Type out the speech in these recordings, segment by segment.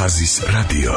ხაზის რადიო.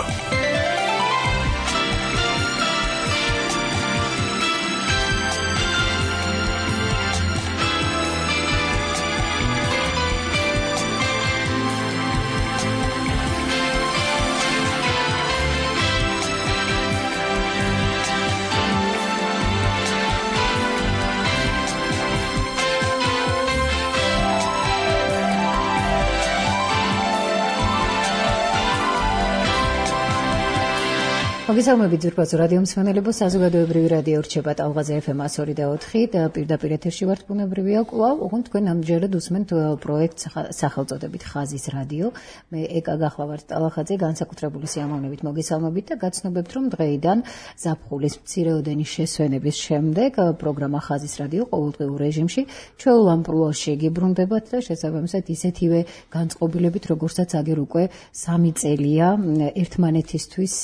მოგესალმებით ძვირფასო რადიო მსმენელებო, საზოგადოებრივი რადიო რჩება ტალღაზე FM 102.4 და პირდაპირ ეთერში ვართ ბუნებრივია კვლავ, ოღონდ თქვენ ამჯერად უსმენთ პროექტს სახელწოდებით ხაზის რადიო. მე ეკა გახლავართ ტალახაძე, განსაკუთრებული სიამოვნებით მოგესალმებით და გაცნობებთ, რომ დღეიდან ზაფხულის მცირეოდენი შესვენების შემდეგ პროგრამა ხაზის რადიო ყოველდღიურ რეჟიმში ჩვეულ ამპლუაში გიბრუნდებათ და შესაბამისად ისეთივე განწყობილებით, როგორცაც აგერ უკვე 3 წელია ერთმანეთისთვის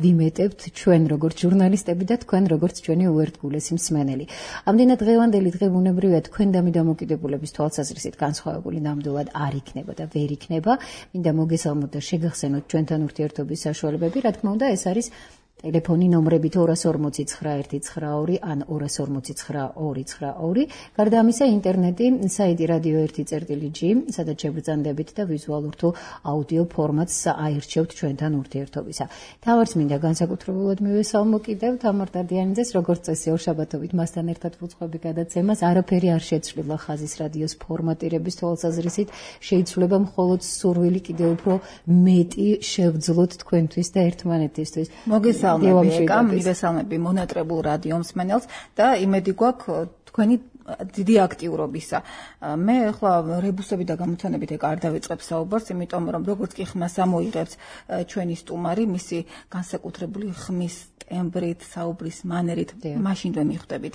ვიმეტებთ ჩვენ როგორც ჟურნალისტები და თქვენ როგორც ჩვენი უერთგულესი მსმენელი. ამდენად დღევანდელი დღე ბუნებრივია თქვენდამი დამოკიდებულების თვალსაზრისით განსხვავებული ნამდვილად არ იქნება და ვერ იქნება. მინდა მოგესალმოთ და შეგახსენოთ ჩვენთან ურთიერთობის საშუალებები. რა თქმა უნდა, ეს არის ტელეფონი ნომრებით 240-9192 ან 240-9292. გარდა ამისა, ინტერნეტი, საიტი radio1.gr, სადაც შეგრძანდებით და ვიზუალურ თუ აუდიო ფორმატს აირჩევთ ჩვენთან ურთიერთობისა. თავარს მინდა განსაკუთრებულად მივესალმო კიდევ თამარ დადიანიძეს, როგორც წესი ორშაბათობით მასთან ერთად ვუძღვები გადაცემას. არაფერი არ შეცვლილა ხაზის რადიოს ფორმატირების თვალსაზრისით, შეიძლება მხოლოდ სურვილი კიდევ უფრო მეტი შევძლოთ თქვენთვის და ერთმანეთისთვის. მივესალმები მონატრებულ რადიო მსმენელს და იმედი გვაქვს თქვენი დიდი აქტიურობისა. მე ახლა რებუსები და გამოცანებით არ დავიწყებ საუბარს, იმიტომ რომ როგორც კი ხმას ამოიღებს ჩვენი სტუმარი, მისი განსაკუთრებული ხმის ტემბრით, საუბრის მანერით, მაშინვე მიხვდებით,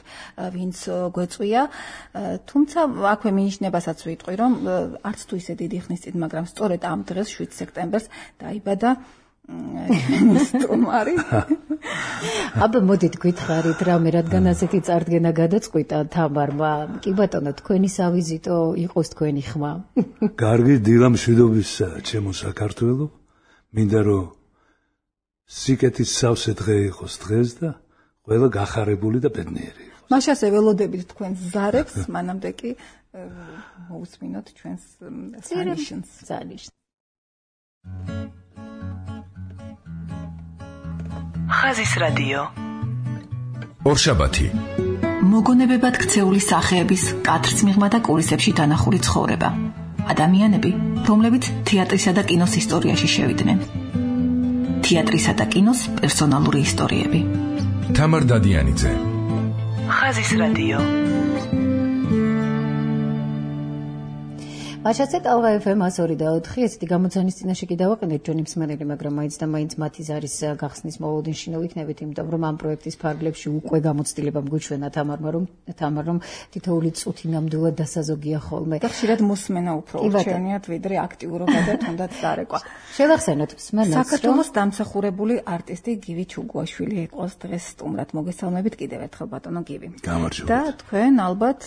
ვინც გვეწვია. თუმცა აქვე მინიშნებასაც ვიტყვი, რომ არც თუ ისე დიდი ხნის წინ, მაგრამ სწორედ ამ დღეს 7 სექტემბერს დაიბადა სტუმარი. აბა მოდით გითხარით რამე, რადგან ასეთი წარდგენა გადაწყვიტა თამარმა. კი ბატონო, თქვენი სავიზიტო იყოს თქვენი ხმა. კარგი, დილა მშვიდობისა ჩემო საქართველო. მინდა რომ სიკეთის სავსე დღე იყოს დღეს და ყველა გახარებული და ბედნიერი იყოს. მაშასე ველოდებით თქვენს ზარებს, მანამდე კი მოусმინოთ ჩვენს სანიშნს. ხაზის რადიო. ორშაბათი. მოგონებებად ქცეული სახეების კადრს მიღმა და კულისებში დანახული ცხოვრება. ადამიანები, რომლებიც თეატრისა და კინოს ისტორიაში შევიდნენ. თეატრისა და კინოს პერსონალური ისტორიები. თამარ დადიანიძე. ხაზის რადიო. მაშასე ტალღა FM 102.4 ესეთი გამოცანის წინაშე კი დავაყენეთ ჩვენი მსმენელი, მაგრამ მაინც და მაინც მათი ზარის გახსნის მოლოდინში ნოვიქნებით, იმიტომ რომ ამ პროექტის ფარგლებში უკვე გამოცდილება მგვიჩვენა თამარ რომ თითოეული წუთი ნამდვილად დასაზოგია ხოლმე. და ხშირად მოსმენა უფრო რჩენიათ ვიდრე აქტიურობა და თუნდაც დარეკვა. შევახსენოთ მსმენელს, საქართველოს დამსახურებული არტისტი გივი ჩუგუაშვილი იყოს დღეს სტუმრად. მოგესალმებით კიდევ ერთხელ ბატონო გივი. გამარჯობა. და თქვენ ალბათ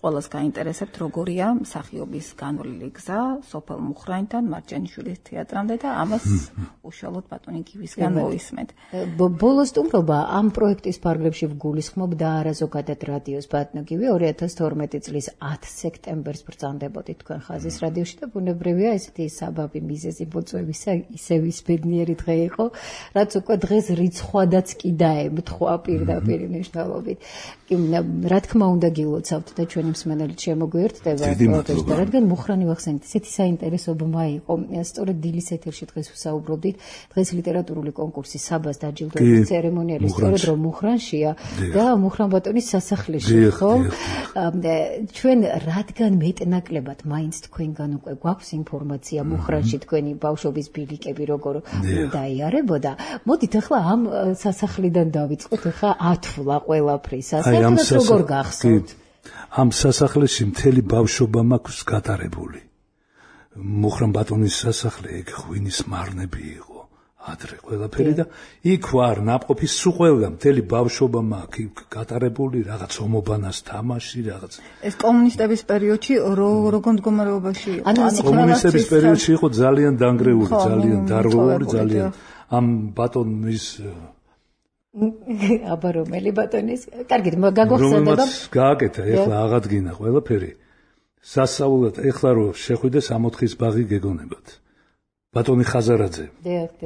ყველას გაინტერესებთ როგორია მსახიობის განვლილი გზა სოფელ მუხრანიდან მარჯანიშვილის თეატრამდე და ამას უშუალოდ ბატონი გივისგან მოვისმენთ. ბოლო სტუმრობა ამ პროექტის ფარგლებში ვგულისხმობ და არა ზოგადად რადიოს ბატონო გივი 2012 წლის 10 სექტემბერს ბრძანდებოდით თქვენ ხაზის რადიოში და ბუნებრივია ესეთი საბაბი მიზეზი მოწვევისა ისევ ის ბედნიერი დღე იყო, რაც უკვე დღეს რიცხვადაც კი დაემთხვა პირდაპირ მნიშვნელობით. რა თქმა უნდა გილოცავთ და ჩვენი მსმენელით შემოგვიერთდება და რადგან მუხრანი ვახსენეთ, ესეთი საინტერესო ბმა იყო. სწორედ დილის ეთერში დღეს ვსაუბრობდით, დღეს ლიტერატურული კონკურსის საბას დაჯილდოების ცერემონიალი სწორედ რომ მუხრანშია და მუხრან ბატონის სასახლეში, ხო? ჩვენ რადგან მეტნაკლებად მაინც თქვენგან უკვე გვაქვს ინფორმაცია მუხრანში თქვენი ბავშვობის ბილიკები როგორ დაიარებოდა. მოდით ახლა ამ სასახლიდან დავიწყოთ, ახლა ათვლა ყველაფრის. საერთოდ როგორ გახსოვთ? ამ სასახლეში მთელი ბავშვობა მაქვს გატარებული. მუხრან ბატონის სასახლე ეგ ღვინის მარნები იყო, ადრე ყველაფერი და იქ ვარ ნაყოფის სულ ყველგან მთელი ბავშვობა მაქვს გატარებული რაღაც ომობანას თამაში რაღაც ეს კომუნისტების პერიოდში როგორ მდგომარეობაში იყო კომუნისტების პერიოდში იყო ძალიან დანგრეული ძალიან დარღვეული ძალიან ამ ბატონის აბა რომელი ბატონის კარგით გაგახსენდება რომელმაც გააკეთა ეხლა აღადგინა ყველაფერი სასწაულად ეხლა რო შეხვიდე 64-ის ბაღი გეგონებათ ბატონი ხაზარაძე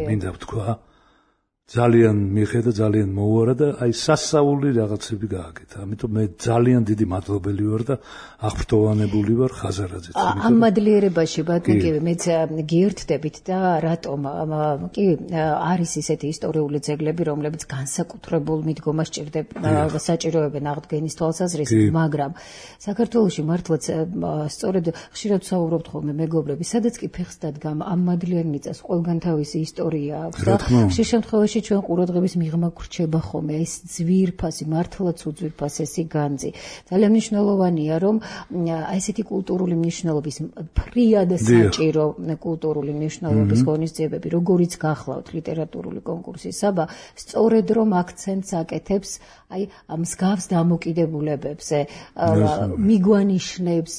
მინდა ვთქვა ძალიან მიხედა ძალიან მოუარა და აი სასწაული რაღაცები გააკეთა ამიტომ მე ძალიან დიდი მადლობელი ვარ და აღფრთოვანებული ვარ ხაზარაძეც ამ მადლიერებაში ბატონიკები მეც გიერთდებით და რატომ კი არის ისეთი ისტორიული ძეგლები რომლებიც განსაკუთრებულ მიდგომას ჭირდება საჭიროებენ აღდგენის თვალსაზრისით მაგრამ საქართველოში მართლაც სწორედ ხშირად ვსაუბრობთ ხოლმე მეგობრები სადაც კი ფეხს დადგამ ამ მადლიერ მიწას ყველგან თავისი ისტორია აქვს და ხშირ შემთხვევაში ჩვენ ყურადღების მიღმა გრჩება ხოლმე ეს ძვირფასი მართლაც უძვირფასი ეს განძი ძალიან მნიშვნელოვანია რომ აი ესეთი კულტურული მნიშვნელობის ფრიად საჭირო კულტურული მნიშვნელობის ღონისძიებები როგორიც გახლავთ ლიტერატურული კონკურსი საბა სწორედ რომ აქცენტს აკეთებს აი ამ მსგავს დამოკიდებულებებზე მიგვანიშნებს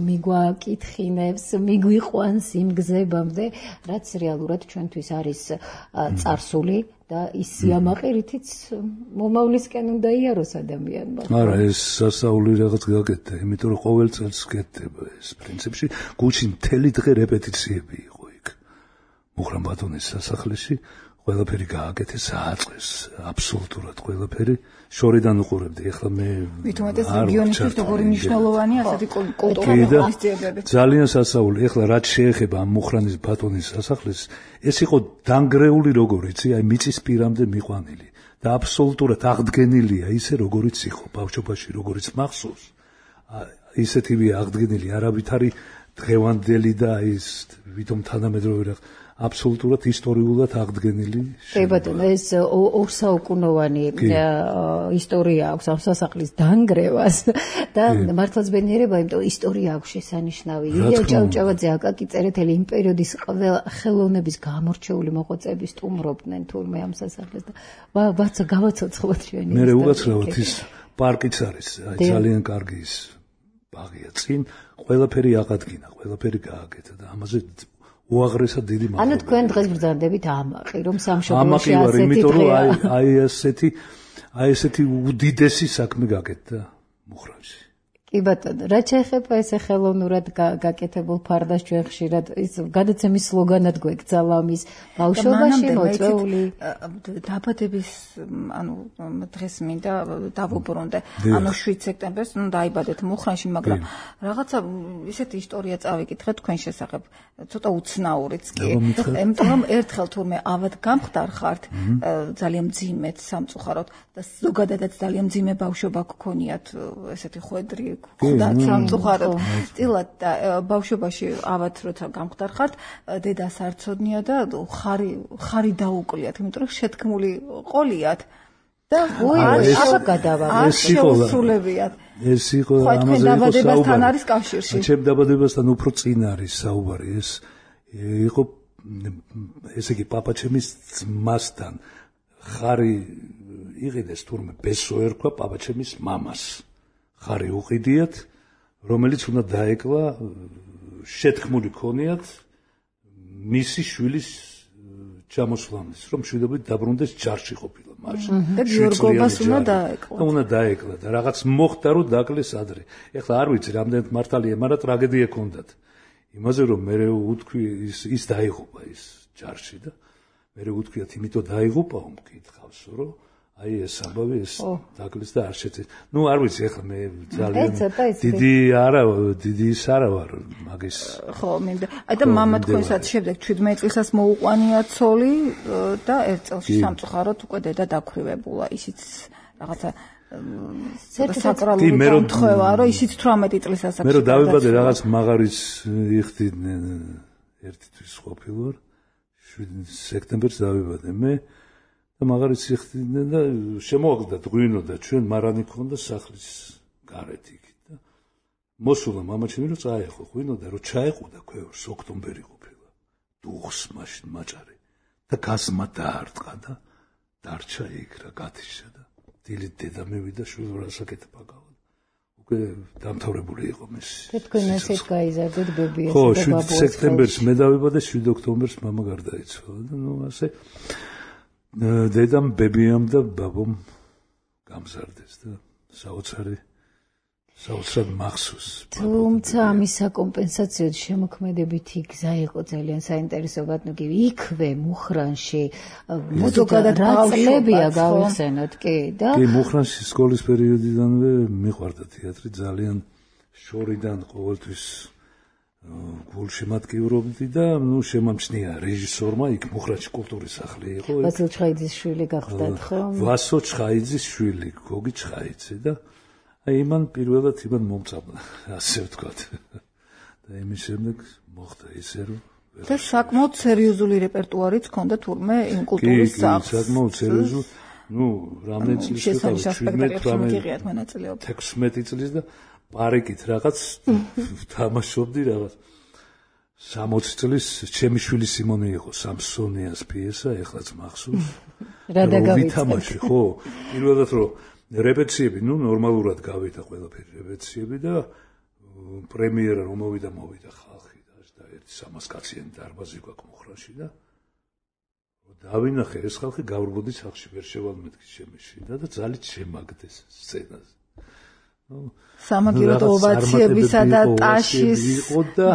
მიგვაკითხინებს მიგვიყვანს იმ გზებამდე რაც რეალურად ჩვენთვის არის წარსული და ის სიამაყირითიც მომავლისკენ უნდა იაროს ადამიანმა. არა, ეს სასწაული რაღაც გაკეთდა, იმიტომ რომ ყოველ წელს გეთდება ეს პრინციპში. გუჩი მთელი დღე რეპეტიციები იყო იქ. მუხრან ბატონის სასახლეში ყველაფერი გააკეთეს, ააწეს აბსოლუტურად ყველაფერი. შორიდან უყურებდი, ეხლა მე მithumetes რეგიონისთვის როგორი მნიშვნელოვანია ასეთი კულტურული ღონისძიებები. ძალიან სასწაული, ეხლა რაც შეეხება ამ მუხრანის ბატონის სასახლეს, ეს იყო დანგრეული როგორიცი, აი მიწის პირამდე მიყვანილი და აბსოლუტურად აღდგენილია ისე როგორიც იყო ბავშვობაში, როგორიც მახსოვს. ისეთივე აღდგენილი არავითარი დღევანდელი და ის ვითომ თანამედროვე რაღაც აბსოლუტურად ისტორიულად აღდგენილი. კი ბატონო, ეს ორსაუკუნოვანი ისტორია აქვს ამ სასახლის დანგრევას და მართლაც ბედნიერება, იმიტომ ისტორია აქვს შესანიშნავი. ილია ჭავჭავაძე, აკაკი წერეთელი იმ პერიოდის ყველა ხელოვნების გამორჩეული მოღვაწეები სტუმრობდნენ თურმე ამ სასახლეს და ბაცა გავაცოცხლოთ ჩვენი ისტორია. მე უგაცრავად ის პარკიც არის, ძალიან კარგი ის ბაღია წინ, ყველაფერი აღადგინა, ყველაფერი გააკეთა და ამაზე უაღრესად დიდი მადლობა. ანუ თქვენ დღეს ბრძანდებით ამაყი, რომ სამშობლოში ასეთი დღეა. აი ესეთი უდიდესი საქმე გაკეთდა მუხრანში. კი ბატონო, რაც შეეხება ესე ხელოვნურად გაკეთებულ ფარდას ჩვენ ხშირად ის გადაცემის სლოგანად გვეკძალა ამის ბავშვობაში მოწვეული დაბადების ანუ დღეს მინდა დავუბრუნდე ანუ 7 სექტემბერს დაიბადეთ მუხრანში მაგრამ რაღაცა ისეთი ისტორია წავიკითხე თქვენ შესახებ ცოტა უცნაურიც კი იმიტომ რომ ერთხელ თურმე ავად გამხდარხართ ძალიან მძიმედ სამწუხაროდ და ზოგადადაც ძალიან მძიმე ბავშვობა გქონიათ ესეთი ხვედრი ხდათ სამწუხაროდ წილად და ბავშვობაში ავად როცა გამხდარხართ დედას არ ცოდნია და ხარი დაუკვლიათ იმიტომ რომ შეთქმული ყოლიათ და აბა გადავა შეუსრულებიათ ეს იყო ამაზე დაბადებასთან არის კავშირში ჩემ დაბადებასთან უფრო წინ არის საუბარი ეს იყო ესე იგი პაპაჩემის ძმასთან ხარი იყიდეს თურმე ბესო ერქვა პაპაჩემის მამას ხარი უყიდიათ რომელიც უნდა დაეკლა შეთქმული ქონიათ მისი შვილის ჩამოსვლამდე რომ მშვიდობით დაბრუნდეს ჯარში ყოფილა მაშინ და გიორგობას უნდა დაეკლა უნდა დაეკლა და რაღაც მოხდა რომ დაკლეს ადრე ეხლა არ ვიცი რამდენად მართალია მაგრამ ტრაგედია ჰქონდათ იმაზე რომ მე უთქვი ის დაიღუპა ის ჯარში და მე უთქვიათ იმიტომ დაიღუპაო მკითხავსო რომ აი ეს ამბავი ეს დაკლეს და არ შეწეს. ნუ არ ვიცი ახლა მე ძალიან დიდი ის არა ვარ მაგის. ხო, მინდა. აი და მამა თქვენსაც შემდეგ 17 წელსაც მოუყვანია ცოლი და ერთ წელში სამწუხაროდ უკვე დედა დაქვრივებულა. ისიც რაღაცა საკრალური მომთხვევა, რომ ისიც 18 წელსაც მე რომ დავიბადე რაღაც მაღარის იხდიდნენ ერთი თვის ყოფილვარ 7 სექტემბერს დავიბადე მე და მაგარიც იხდიდნენ და შემოაგდათ ღვინო და ჩვენ მარანი ქონდა სახლის გარეთ იქით და მოსულა მამაჩემი რომ წაეხო ღვინო და რომ ჩაეყუდა ქვევრს ოქტომბერი ყოფილა დუხს მაშინ მაჭარი და გასმა დაარტყა და დარჩა იქ რა გათიშა და დილით დედა მივიდა შვილო რასაკეთება გავა. უკვე დამთავრებული იყო მის. თქვენ ასეთ გაიზარდეთ ბებიას და ბაბუას. ხო, 7 სექტემბერს მე დავიბადე, 7 ოქტომბერს мама გარდაიცვალა და ნუ ასე დედამ, ბებიამ და ბაბომ გამზარდეს და საოცრად მახსოვს. თუმცა ამის საკომპენსაციოდ შემოქმედებითი გზა იყო ძალიან საინტერესო ბატონო, იქვე მუხრანში მოდოკადაცლებია გავიხსენოთ კი და კი მუხრანში სკოლის პერიოდიდანვე მიყვარდა თეატრი ძალიან შორიდან ყოველთვის გულში მატკივრობდი და ნუ შემამჩნია რეჟისორმა იქ მუხრანში კულტურის სახლი იყო ვასილ ჩხაიძის შვილი გახდათ ხო? ვასო ჩხაიძის შვილი გოგი ჩხაიძე და აი მან პირველად იმან მომწამლა ასე ვთქვათ და იმის შემდეგ მოხდა ისე რომ და საკმაოდ სერიოზული რეპერტუარიც ჰქონდა თურმე იმ კულტურის სახლს. კი, საკმაოდ სერიოზული. ნუ რამდენი წლის იყო? 16 წლის და პარიკით რაღაც თამაშობდი რაღაც 60 წლის ჩემი შვილი სიმონე იყო სამსონიას პიესა, ეხლაც მახსოვს. რა დავითამაშე, ხო? პირველად რომ რეპეტიციები, ნუ ნორმალურად გავიდა ყველაფერი რეპეტიციები და პრემიერა რომ მოვიდა ხალხი და ერთი 300 კაციანი დარბაზი გვაქვს მუხრანში და დავინახე ეს ხალხი გავრბოდი სახლში ვერ შევალმეთქი შემეშინა და ძალით შემაგდეს სცენაზე. სამაგიეროდ ოვაციებისა და ტაშის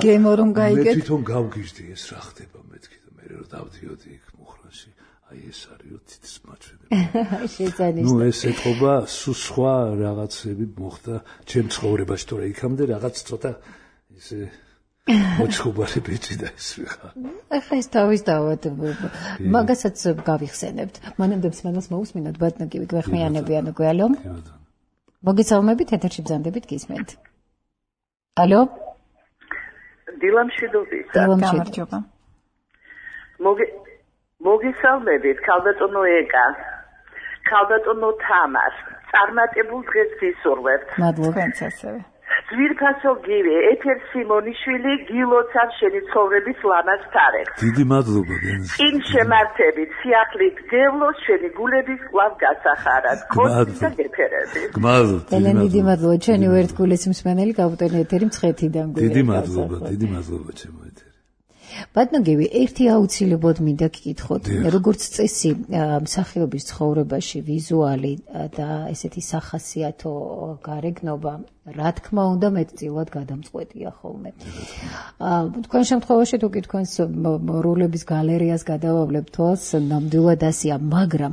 გემო რომ გაიგეთ. მე თვითონ გავგიჟდი ეს რა ხდება მეთქი და მე რომ დავდიოდი იქ მუხრანში. აი ეს არის თითის მაჩვენებელი. შეძანის. ნუ ეს ეთყობა სხვა რაღაცები მოხდა ჩემ ცხოვრებაში, თორე იქამდე რაღაც ცოტა ისე მოჩხუბარი ბიჭი და ის ვიხარ. ახლა ეს თავის დავად მაგასაც გავიხსენებთ. მანამდე მსმენელს მოусმინოთ ბატონო კი გვეხმიანებიან უკვე ალო. მოგესალმებით ეთერში ბრძანდებით გისმენთ. ალო? დილამშვიდობის. გამარჯობა. მოგესალმებით ქალბატონო ეკა. ქალბატონო თამარ. წარმატებულ დღეს ვისურვებთ. მადლობა ასევე. ძვირფასო გივი, ეთერ სიმონიშვილი, გილოცავ შენი ცხოვრების ლამაზ თარიღს. დიდი მადლობა გენს. წინ შემართებით, სიახლით გევლოს შენი გულების კვლავ გასახარად. კოცი და გეფერები. გმადლობთ. დიდი მადლობა ჩვენი ვერტკულის მსმენელი გავუტენე ეთერი მცხეთიდან გვერდ. დიდი მადლობა ჩემო ეთერი. ბატონო გივი, ერთი აუცილებლად მინდა გკითხოთ, როგორც წესი მსახიობის ცხოვრებაში ვიზუალი და ესეთი სახასიათო გარეგნობა, რა თქმა უნდა, მეტწილად გადამწყვეტია ხოლმე. თქვენ შემთხვევაში თუ კი თქვენს როლების გალერეას გადავავლებთ თვალს, ნამდვილად ასეა, მაგრამ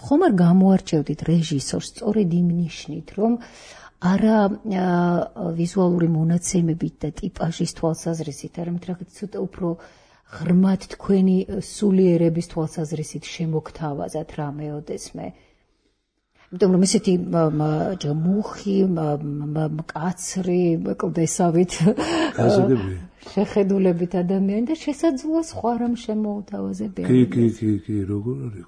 ხომ არ გამოარჩევდით რეჟისორს სწორედ იმ ნიშნით, რომ არა ვიზუალური მონაცემებით და ტიპაჟის თვალსაზრისით, არამედ რაღაც ცოტა უფრო ღრმად თქვენი სულიერების თვალსაზრისით შემოგთავაზათ რამეოდეს მე. იმიტომ რომ ესეთი მუხი, მკაცრი, კლდესავით შეხედულებით ადამიანი და შესაძლოა სხვა რამ შემოუთავაზებიან. კი, როგორ არის?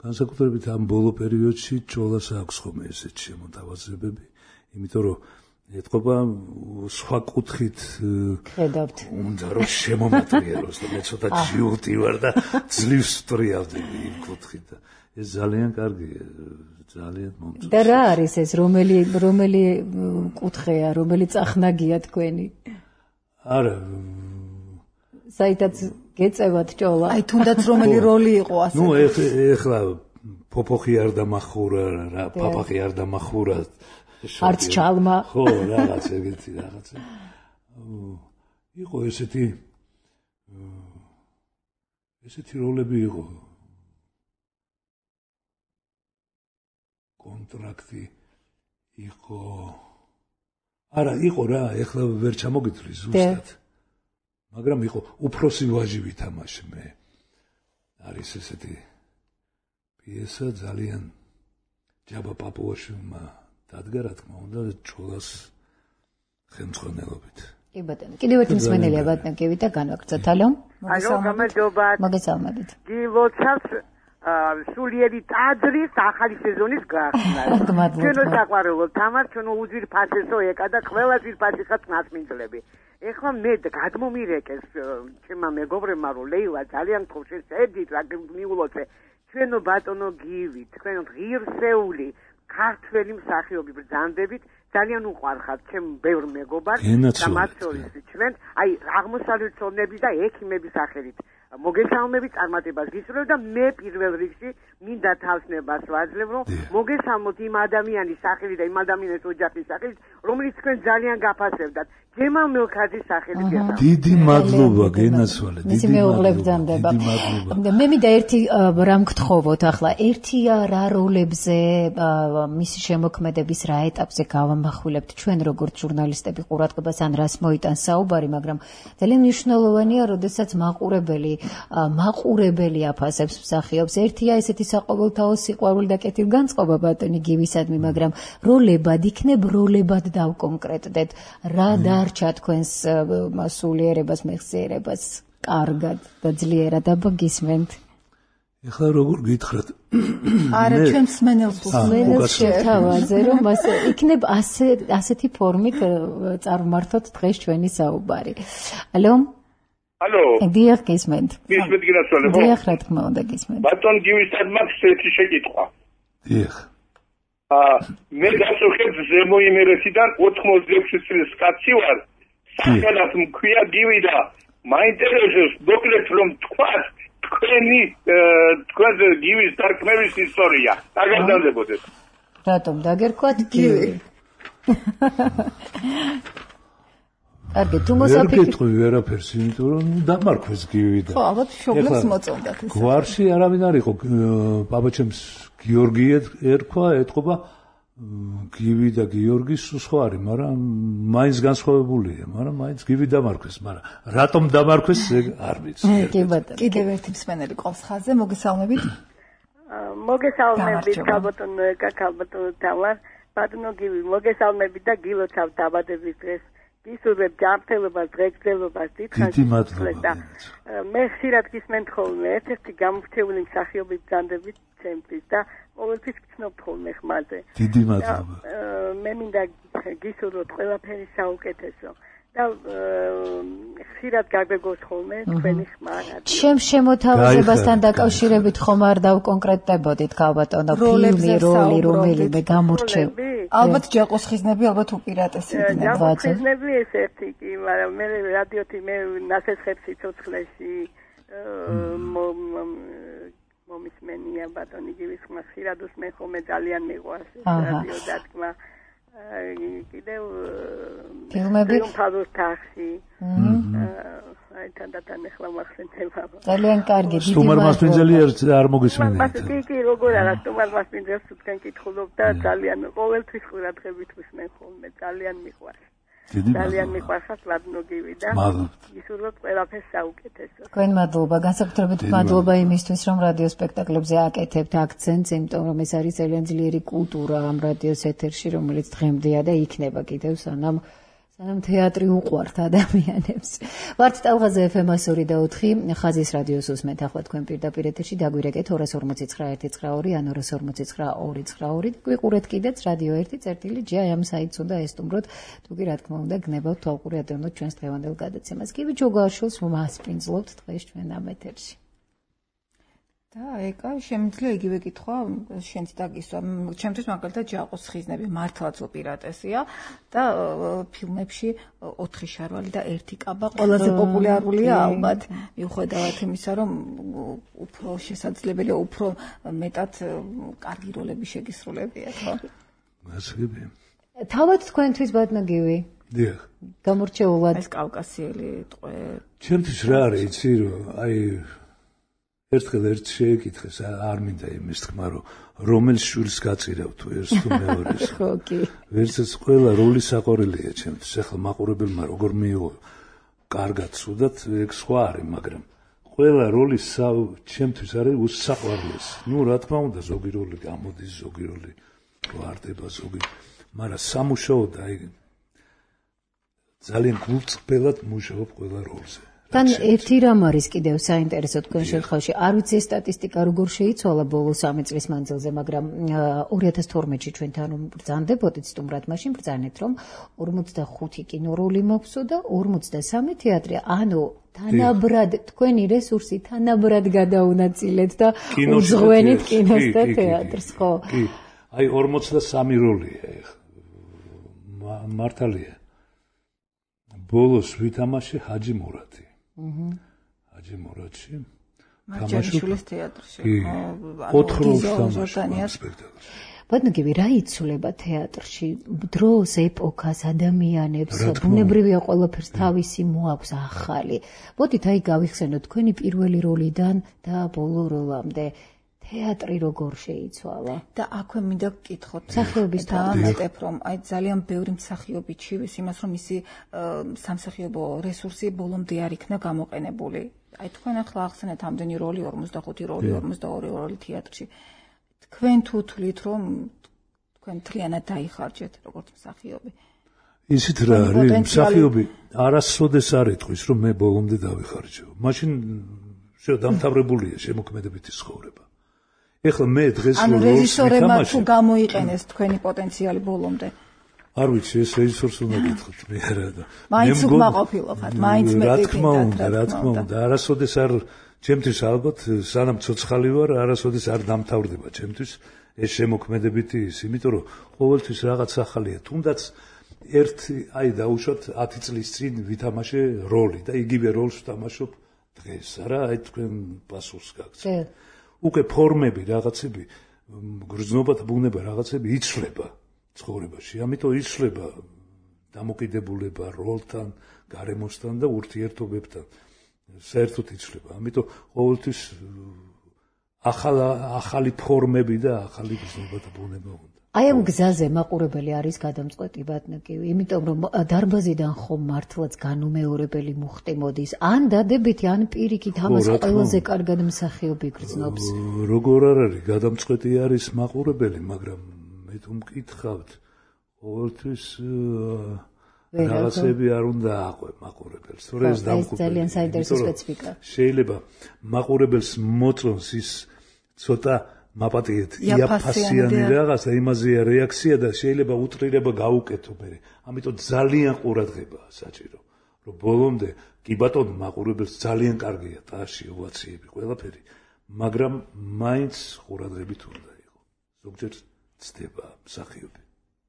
განსაკუთრებით ამ ბოლო პერიოდში ჭოლას აქვს ხოლმე ესეთი შემოთავაზებები, იმიტომ რომ ეთყობა სხვა კუთხით ხედავთ. უნდა რომ შემომატრიალოს და მე ცოტა ჯიუტი ვარ და ძლივს ვტრიავდი იმ კუთხით და ეს ძალიან კარგია, ძალიან მომწონს. და რა არის ეს, რომელი კუთხეა, რომელი წახნაგია თქვენი? არა საითაც გეწევათ ჭოლა. აი თუნდაც რომელი როლი იყო ასე. ნუ ეხლა ფოფოხი არ დამახურა, პაპახი არ დამახურა. არც ჩალმა. ხო, რაღაც ეგეთი რაღაცა. იყო ესეთი როლები იყო. კონტრაქტი იყო. არა, იყო რა, ეხლა ვერ ჩამოგითვლი ზუსტად. მაგრამ იყო უფროსი ვაჟი ვითამაშე მე. არის ესეთი პიესა ძალიან ჯაბა პაპუაშვილმა დადგა რა თქმა უნდა ჭოლას ხელმძღვანელობით. კი ბატონო, კიდევ ერთი მსმენელია ბატონო გივი და განვაგრძოთ. ალო? მოგესალმებით. გილოცავს სულიერი ტაძრის ახალი სეზონის გახსნა. ჩვენო საყვარელო თამარ, ჩვენო უძვირფასესო ეკა და ყველა ძვირფასი ხაც ნაცმინძლები. ეხლა მე გადმომირეკეს ჩემმა მეგობრებმა რომ ლეილა ძალიან ხოშე წედით რა მიულოცე ჩვენო ბატონო გივი თქვენ ღირსეული ქართველი მსახიობი ბრძანდებით ძალიან უყვარხართ ჩემ ბევრ მეგობარს და მათ შორის ჩვენ აი აღმოსავლეთ ცოდნების და ექიმების სახელით მოგესალმებით წარმატებას გისურვებ და მე პირველ რიგში მინდა თავსნებას ვაძლევ რომ მოგესალმოთ იმ ადამიანის სახელით და იმ ადამიანის ოჯახის სახელით რომელიც თქვენ ძალიან გაფასებდათ ჯემალ მელქაძის სახელით დიდი მადლობა გენასვალე დიდი მეუღლებდანდება მე მინდა ერთი რამ გთხოვოთ ახლა ერთია რა როლებზე მისი შემოქმედების რა ეტაპზე გავამახვილებთ ჩვენ როგორც ჟურნალისტები ყურადღებას ან რას მოიტანს საუბარი მაგრამ ძალიან მნიშვნელოვანია როდესაც მაყურებელი აფასებს მსახიობს ერთია ესეთი საყოველთაო სიყვარული და კეთილგანწყობა ბატონი გივისადმი მაგრამ როლებად იქნებ როლებად დავკონკრეტდეთ რა დარჩა თქვენს სულიერებას მეხსიერებას კარგად და ძლიერად აბა გისმენთ ეხლა როგორ გითხრათ არა ჩვენ მსმენელს შეთავაზე რომ იქნებ ასეთი ფორმით წარმართოთ დღეს ჩვენი საუბარი ალო დიახ გისმენთ გისმენთ გინასვალე ხო დიახ რა თქმა უნდა გისმენთ ბატონ გივისადმა ერთი შეკითხვა დიახ მე გასუხებ ზემო იმერეთიდან 86 წლის კაცი ვარ სახელად მქვია გივი და მაინტერესებს მოკლედ რომ თქვათ თქვენ გივის დარქმევის ისტორია დაგაგზავნებოდეთ რატომ დაგერქვათ გივი კარგი თუ მოსაფიქრე ვერაფერს იმიტომ რომ დამარქვეს გივი და ხო ალბათ შობლებს მოწონდათ ეს გვარში არავინ არ იყო პაპაჩემს გიორგი ერქვა ეთყობა გივი და გიორგი სხვა არის მაგრამ მაინც განსხვავებულია მაგრამ მაინც გივი დამარქვეს მაგრამ რატომ დამარქვეს არ ვიცი კი ბატონო კიდევ ერთი მსმენელი ყავს ხაზზე მოგესალმებით მოგესალმებით კაკალბატონო თამარ ბატონო გივი მოგესალმებით და გილოცავ დაბადების დღეს გისურვებ ჯანმრთელობას დღეგრძელობას დიდი მადლობა მე ხშირად გისმენთ ხოლმე ერთ-ერთი გამორჩეული მსახიობი ბრძანდებით ჩემთვის და ყოველთვის გცნობთ ხოლმე ხმაზე დიდი მადლობა მე მინდა გისურვოთ ყველაფერი საუკეთესო და ხშირად გაგვეგოს ხოლმე თქვენი ხმა ჩემ შემოთავაზებასთან დაკავშირებით ხომ არ დავკონკრეტდებოდით ქალბატონო ფილმი როლი რომელიმე გამორჩევ ალბათ ჯაყოს ხიზნები ალბათ უპირატესი იქნება ჯაყოს ხიზნები ეს ერთი კი მაგრამ მე რადიოთი მე ნასესხებს სიცოცხლეში მომისმენია ბატონი გივის ხმა ხშირად უსმენ ხოლმე ძალიან მიყვარს რადიო დათქმა კიდევ ფილმები ფალოს თახში აი თანდათან ახლა მახსენდება ძალიან კარგი დიდი სტუმარ მასპინძელი არ მოგისმენთ კი როგორ არა სტუმარ მასპინძელს თქვენ კითხულობ და ძალიან ყოველთვის ყურადღებით უსმენ ხოლმე ძალიან მიყვარს ძალიან მიყვარხართ ბატონო გივი და გისურვებთ ყველაფერს საუკეთესო თქვენ მადლობა განსაკუთრებით მადლობა იმისთვის რომ რადიო სპექტაკლებზე აკეთებთ აქცენტს იმიტომ რომ ეს არის ძალიან ძლიერი კულტურა ამ რადიოს ეთერში რომელიც დღემდეა და იქნება კიდევ სანამ თეატრი უყვართ ადამიანებს. ვართ ტალღაზე FM 102.4 ხაზის რადიოს უსმენთ ახლა თქვენ პირდაპირ ეთერში დაგვირეკეთ 240 ან 249.292. გვიყურეთ კიდეც რადიო 1.წერტილი ამ საიტს უნდა ესტუმროთ. თუ კი რა თქმა უნდა გნებავთ თვალყური ატენოთ ჩვენს დღევანდელ გადაცემას. კი ჯოგაშულს მასპინძლობთ დღეს ჩვენ ამ ეთერში. და ეკა შემიძლია იგივე კითხვა შენც დაგისვა. ჩემთვის მაგალითად ჯაყოს ხიზნები მართლაც უპირატესია და ფილმებში 4 შარვალი და 1 კაბა ყველაზე პოპულარულია ალბათ. მიუხედავად იმისა, რომ უფრო შესაძლებელია უფრო მეტად კარგი როლები შეგისრულებიათ, ხო? გასაგები. თავად თქვენთვის ბატონო გივი. დიახ. გამორჩეულად ეს კავკასიელი ტყვე. ჩემთვის რა არის, იცი რომ აი ერთხელ ერთ შეეკითხეს არ მინდა იმის თქმა რომ რომელ შვილს გაწირავ თუ ერთს თუ მეორეს ხო კი ვერცაც ყველა როლი საყვარელია ჩემთვის ახლა მაყურებელმა როგორ მიიღო კარგად სუდად ეგ სხვა არის მაგრამ ყველა როლი ჩემთვის არის უსაყვარლესი ნუ რა თქმა უნდა ზოგი როლი გამოდის ზოგი როლი ვარდება ზოგი მაგრამ სამუშაოდ აი ძალიან გულწრფელად მუშაობ ყველა როლზე თან ერთი რამ არის კიდევ საინტერესო თქვენ შემთხვევაში. არ ვიცი ეს სტატისტიკა როგორ შეიცვალა ბოლო 3 წლის მანძილზე, მაგრამ 2012-ში ჩვენთან ბრძანდებოდით სტუმრად, მაშინ ბრძანეთ, რომ 45 კინოროლი მაქვსო და 53 თეატრი, ანუ თანაბრად თქვენი რესურსი თანაბრად გადაუნაწილეთ და უძღვენით კინოს და თეატრს, ხო? კი. აი 43 როლია ეხლა. მართალია. ბოლოს ვითამაშე ჰაჯი მურატი. ჰაჯი მურატში. მარჯანიშვილის თეატრში. 4 როლს თამაშობ სპექტაკლში. ბატონო, რა იცვლება თეატრში? დროს, ეპოქას, ადამიანებს, ბუნებრივია ყველაფერს თავისი მოაქვს ახალი. მოდით აი გავიხსენოთ თქვენი პირველი როლიდან და ბოლო როლამდე. თეატრი როგორ შეიცვალა? და აქვე მინდა გკითხოთ მსახიობის დამატებ, რომ აი ძალიან ბევრი მსახიობი ჩივის იმას, რომ ისი სამსახიობო რესურსი ბოლომდე არ იქნა გამოყენებული. აი თქვენ ახლა ახსენეთ ამდენი როლი, 45 როლი, 42 როლი თეატრში. თქვენ თუ თვლით, რომ თქვენ თლიანად დაიხარჯეთ როგორც მსახიობი? ისიც რა არის, მსახიობი არასოდეს არ ეთქვის, რომ მე ბოლომდე დავიხარჯო. მაშინ დამთავრებულია შემოქმედებითი ცხოვრება. ეხლა მე დღეს ანუ რეჟისორებმა თუ გამოიყენეს თქვენი პოტენციალი ბოლომდე. არ ვიცი, ეს რეჟისორს უნდა გითხრათ, მე არა და. მაინც უკმაყოფილობთ, მაინც მე რა თქმა უნდა, არასოდეს არ ჩემთვის ალბათ სანამ ცოცხალი ვარ, არასოდეს არ დამთავრდება ჩემთვის ეს შემოქმედებითი ის, იმიტომ რომ ყოველთვის რაღაც ახალია. თუნდაც ერთი, აი დაუშვათ 10 წლის წინ ვითამაშე როლი და იგივე როლს ვთამაშობ დღეს, არა, აი თქვენ პასუხს გაგცეთ. უკვე ფორმები, რაღაცები, გრძნობა და ბუნება რაღაცები იცვლება ცხოვრებაში. ამიტომ იცვლება დამოკიდებულება როლთან, გარემოსთან და ურთიერთობებთან. საერთოდ იცვლება. ამიტომ ყოველთვის ახალი ფორმები და ახალი გრძნობა და ბუნება უნდა. აი ამ გზაზე მაყურებელი არის გადამწყვეტი ბატონო, იმიტომ რომ დარბაზიდან ხომ მართლაც განუმეორებელი მუხტი მოდის, ან დადებითი, ან პირიქით ამას ყველაზე კარგად მსახიობი გრძნობს. როგორ არ არის, გადამწყვეტი არის მაყურებელი, მაგრამ მე თუ მკითხავთ, ყოველთვის რაღაცები არ უნდა აყვე მაყურებელს. თორე ეს დამხუბელი. ძალიან საინტერესო სპეციფიკა. შეიძლება მაყურებელს მოწონს ის ცოტა მაპატიეთ იაფასიანი რაღაცა, იმაზეა რეაქცია და შეიძლება უტრირება გაუკეთო მე. ამიტომ ძალიან ყურადღებაა საჭირო, რომ ბოლომდე კი ბატონო მაყურებელს ძალიან კარგია ტაში, ოვაციები, ყველაფერი, მაგრამ მაინც ყურადღებით უნდა იყო. ზოგჯერ ცდება მსახიობი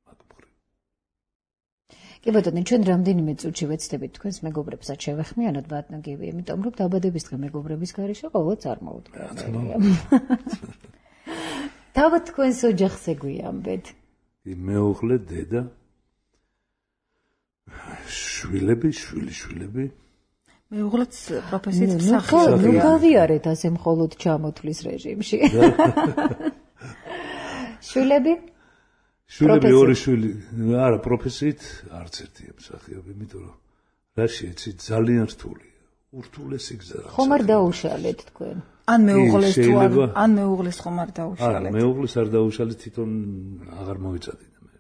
მაგმხრივ. კი ბატონო, ჩვენ რამდენიმე წუთში ვეცდებით თქვენს მეგობრებსაც შევეხმიანოთ ბატონო გივი, იმიტომ რომ დაბადების დღე მეგობრების გარეშე ყოველდღე წარმოუდგენელია. თავად თქვენს ოჯახს ეგვიამბეთ. მეუღლე, დედა, შვილები, შვილიშვილები. მეუღლეც პროფესიით მსახიობია. ნუ გავიარეთ ასე მხოლოდ ჩამოთვლის რეჟიმში. შვილები? შვილები ორი შვილი, არა, პროფესიით არც ერთია მსახიობი, იმიტომ რომ რაში იცი ძალიან რთულია. ურთულესი გზა. ხომ არ დაუშალეთ თქვენ? ან მეუღლეს თუ ან მეუღლეს ხომ არ დაუშალეთ? არა, მეუღლეს არ დაუშალეთ, თვითონ აღარ მოეწადინა მე.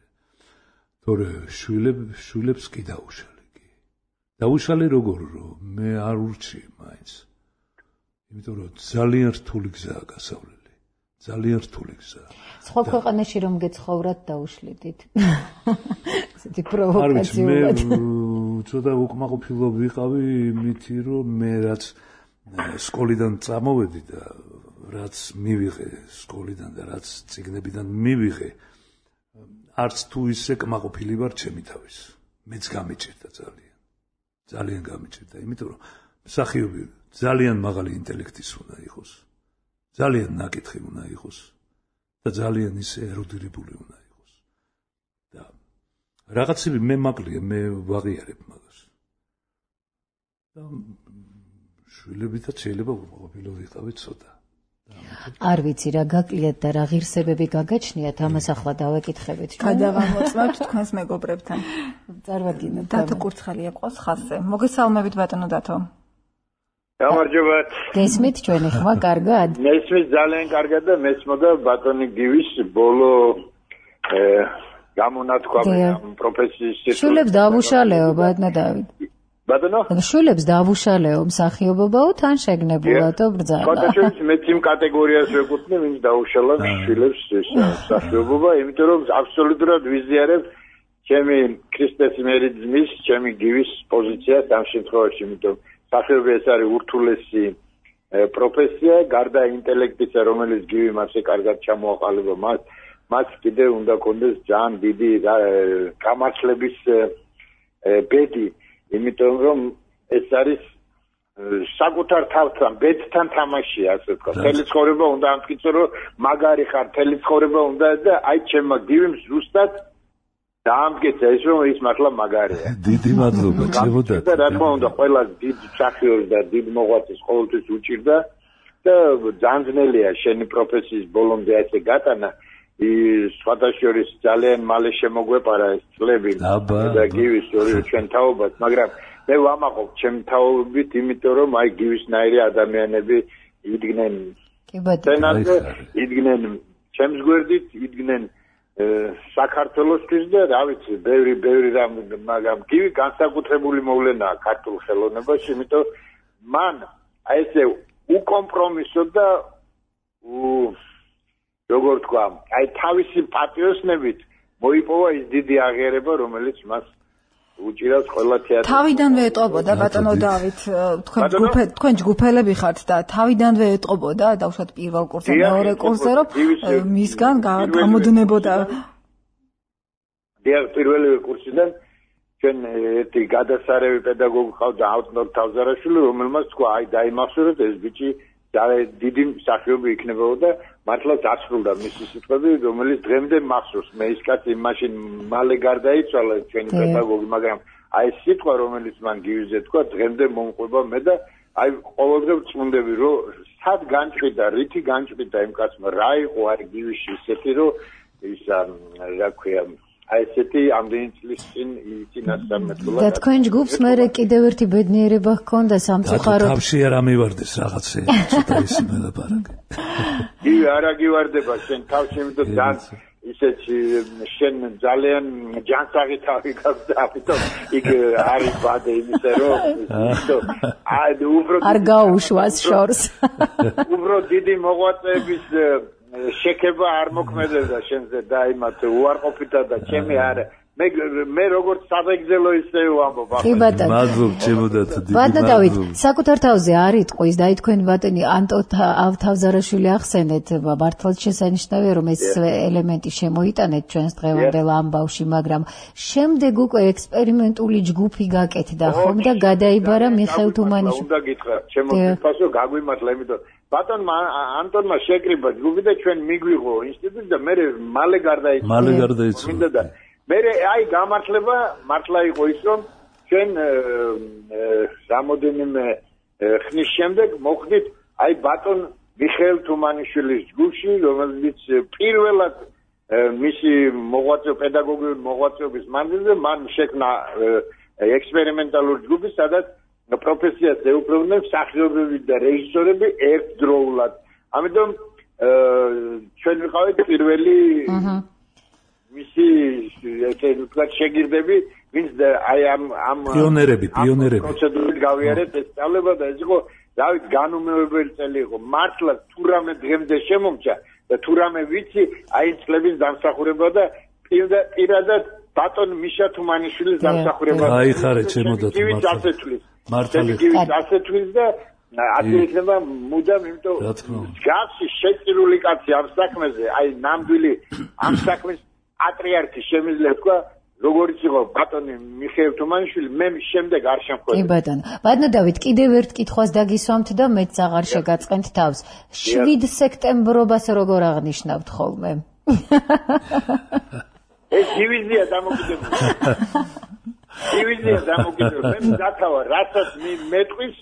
თორე შვილებს კი დაუშალე, კი. დაუშალე როგორ რომ მე არ ურჩი მაინც. იმიტომ რომ ძალიან რთული გზაა გასავლელი. ძალიან რთული გზაა. სხვა ქვეყანაში რომ გეცხოვრათ დაუშლიდით. ესეთი პროვოკაციულად. მე ცოტა უკმაყოფილო ვიყავი იმითი რომ მე რაც სკოლიდან წამოვედი და რაც მივიღე სკოლიდან და რაც წიგნებიდან მივიღე, არც თუ ისე კმაყოფილი ვარ ჩემი თავის. მეც გამიჭირდა ძალიან გამიჭირდა, იმიტომ რომ მსახიობი ძალიან მაღალი ინტელექტის უნდა იყოს, ძალიან ნაკითხი უნდა იყოს და ძალიან ისე ერუდირებული უნდა იყოს. და რაღაცები მე მაკლია, მე ვაღიარებ მაგას. და შვილებითაც შეიძლება უკმაყოფილო ვიყავი ცოტა. არ ვიცი რა გაკლიათ და რა ღირსებები გაგაჩნიათ, ამას ახლა დავეკითხებით. გადავამოწმებთ თქვენს მეგობრებთან. წარმოგიდგენთ. დათო კურცხალია ყავს ხაზზე. მოგესალმებით ბატონო დათო. გამარჯობათ. გესმით ჩვენი ხმა კარგად? მესმის ძალიან კარგად და მესმოდა ბატონი გივის ბოლო გამონათქვა ამ პროფესიის. შვილებს დავუშალეო ბატონო დავით. ბატონო შვილებს დაავუშალეო მსახიობობაო თან შეგნებულათო ბრძანა ფოტოშოპის მეც იმ კატეგორიას ვეკუთვნი ვინც დაუშალა შვილებს მსახიობობა იმიტომ რომ აბსოლუტურად ვიზიარებ ჩემი ქრისტესიმერიზმის ჩემი გივის პოზიციას ამ შემთხვევაში იმიტომ მსახიობი ეს არის ურთულესი პროფესია გარდა ინტელექტისა რომელიც გივი მასე კარგად ჩამოაყალიბა მას კიდე უნდა კონდეს ძალიან დიდი გამართლების ბედი იმიტომ რომ ეს არის საკუთარ თავთან ბედთან თამაშია ასე ვთქვა თელი ცხოვრება უნდა ამტკიცო რომ მაგარი ხარ თელი ცხოვრება უნდა და აი ჩემმა გივიმ ზუსტად დაამტკიცა ის რომ ის მართლა მაგარია დიდი მადლობა ჩემოდათ და რა თქმა უნდა ყველა დიდ მსახიობს და დიდ მოღვაწეს ყოველთვის უჭირდა და ძანძნელია შენი პროფესიის ბოლომდე ასე გატანა სხვათა შორის ძალიან მალე შემოგვეპარა ეს წლები და გივის ჩვენ თაობას მაგრამ მე ვამაყობ ჩემ თაობით იმიტომ რომ აი გივისნაირი ადამიანები იდგნენ სცენაზე იდგნენ ჩემს გვერდით იდგნენ საქართველოსთვის და რა ვიცი ბევრი რამ მაგრამ გივი განსაკუთრებული მოვლენაა ქართულ ხელოვნებაში იმიტომ მან აი ესე უკომპრომისო და როგორ თქვა აი თავისი პატიოსნებით მოიპოვა ის დიდი აღიარება რომელიც მას უჭირავს ყველა თეატრში თავიდანვე ეტყობოდა ბატონო დავით თქვენ ჯგუფელები ხართ და თავიდანვე ეტყობოდა დავუშვათ პირველ კურსზე მეორე კურსზე რომ მისგან გამოდნებოდა პირველი კურსიდან ჩვენ ერთი გადასარევი პედაგოგი ყავდა ავტონომ თავზარაშვილი რომელმაც თქვა აი დაიმახსოვრეთ ეს ბიჭი დიდი მსახიობი იქნებოდა მართლაც ასრულდა მისი სიტყვები რომელიც დღემდე მახსოვს მე ის კაცი მაშინ მალე გარდაიცვალა ჩვენი პედაგოგი მაგრამ აი სიტყვა რომელიც მან გივიზე თქვა დღემდე მომყვება მე და აი ყოველდღე ვწუნდები რომ სად განჭვიდა რითი განჭვიდა იმ კაცმა რა იყო არ გივიში ისეთი რომ ის რა ქვია აი ესეთი ამდენი წლის წინ იწინასწარმეტყველა და თქვენ ჯგუფს მე კიდევ ერთი ბედნიერება ჰქონდა სამწუხაროდ თავში არ ამივარდეს რაღაცე ცოტა ისე მელაპარაკე არა გივარდება შენ თავში იმიტომ ძალიან ისეთი შენ ძალიან ჯანსაღი თავი გაქვს და ამიტომ იქ არის ბადე იმისა რომ არ გაუშვას შორს უბრალოდ დიდი მოღვაწეების შეკება არ მოქმედებდა შენზე და იმათ უარყოფითა და ჩემი არა მე როგორც საბეგზელო ისე ვამბობ ხიბატა მადლობ ჩემოდათ დიდი ბატონო დავით საკუთარ თავზე არ იტყვის და თქვენ ბატონი ანტო თავზარაშვილი ახსენეთ მართლაც შესანიშნავია რომ ეს ელემენტი შემოიტანეთ ჩვენს დღევანდელ ამბავში მაგრამ შემდეგ უკვე ექსპერიმენტული ჯგუფი გაკეთდა ხომ და გადაიბარა მიხეილ თუმანიშვილი უნდა გითხრა შემოიფასო გაგვიმართლა იმიტომ ბატონმა ანტონმა შეკრიბა ჯგუფი და ჩვენ მიგვიღო ინსტიტუტი და მე მალე გარდაიცვალა მე აი გამართლება მართლა იყო ის რომ ჩვენ რამოდენიმე ხნის შემდეგ მოხდით აი ბატონ მიხეილ თუმანიშვილის ჯგუფში რომელიც პირველად მისი პედაგოგიური მოღვაწეობის მანძილზე მან შექმნა ექსპერიმენტალური ჯგუფი სადაც პროფესიას ეუფლებოდნენ მსახიობები და რეჟისორები ერთდროულად ამიტომ ჩვენ ვიყავით პირველი მისი ესე ვთქვათ შეგირდები ვინც აი ამ პიონერები პროცედურით გავიარეთ ეს სწავლება და ეს იყო დავით განუმეორებელი წელი იყო მართლა თუ რამე დღემდე შემომჭა და თუ რამე ვიცი აი წლების დამსახურება და პირადად ბატონ მიშა თუმანიშვილის დამსახურება აი ხარე ჩემოდათ მართლა ასე თვლის და ასე იქნება მუდამ იმიტომ გასი შეწირული კაცი ამ საქმეზე აი ნამდვილი ამ საქმის პატრიარქი შემიძლია თქვა როგორც იყო ბატონი მიხეილ თუმანიშვილი მე შემდეგ არ შემხვედი კი ბატონო დავით კიდევ ერთ კითხვას დაგისვამთ და მეც აღარ შეგაწყენთ თავს 7 სექტემბრობას როგორ აღნიშნავთ ხოლმე ეს დივიზია დამოკიდებული მე დათავა რასაც მეტყვის